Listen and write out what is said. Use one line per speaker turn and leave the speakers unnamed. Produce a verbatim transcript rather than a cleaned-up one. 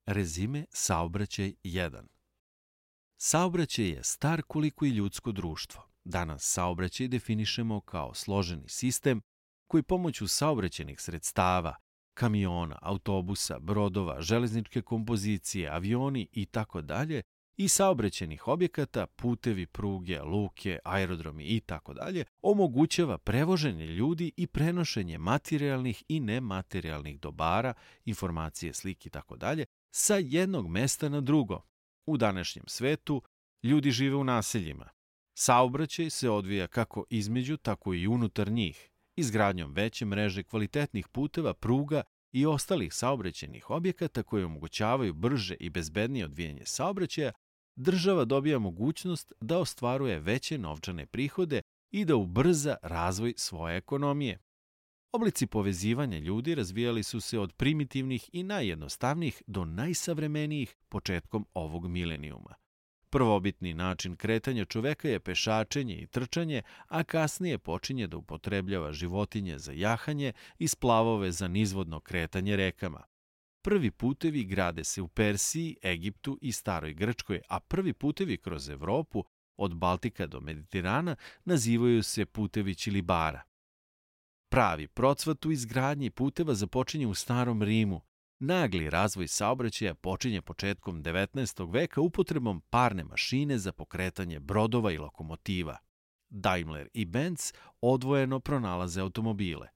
Rezime Saobraćaj jedan. Saobraćaj je star koliko i ljudsko društvo. Danas saobraćaj definišemo kao složeni sistem koji pomoću saobraćajnih sredstava, kamiona, autobusa, brodova, železničke kompozicije, avioni itd. i saobraćajnih objekata, putevi, pruge, luke, aerodromi itd. omogućava prevoženje ljudi i prenošenje materijalnih i nematerijalnih dobara, informacije, slike itd. sa jednog mesta na drugo. U današnjem svetu ljudi žive u naseljima. Saobraćaj se odvija kako između, tako i unutar njih, izgradnjom veće mreže kvalitetnih puteva, pruga i ostalih saobraćajnih objekata koji omogućavaju brže i bezbednije odvijanje saobraćaja. Država dobija mogućnost da ostvaruje veće novčane prihode i da ubrza razvoj svoje ekonomije. Oblici povezivanja ljudi razvijali su se od primitivnih i najjednostavnijih do najsavremenijih početkom ovog milenijuma. Prvobitni način kretanja čoveka je pešačenje i trčanje, a kasnije počinje da upotrebljava životinje za jahanje i splavove za nizvodno kretanje rekama. Prvi putevi grade se u Persiji, Egiptu i Staroj Grčkoj, a prvi putevi kroz Evropu, od Baltika do Mediterana, nazivaju se putevi Ćilibara. Pravi procvat u izgradnji puteva započinje u Starom Rimu. Nagli razvoj saobraćaja počinje početkom devetnaestog veka upotrebom parne mašine za pokretanje brodova i lokomotiva. Daimler i Benz odvojeno pronalaze automobile.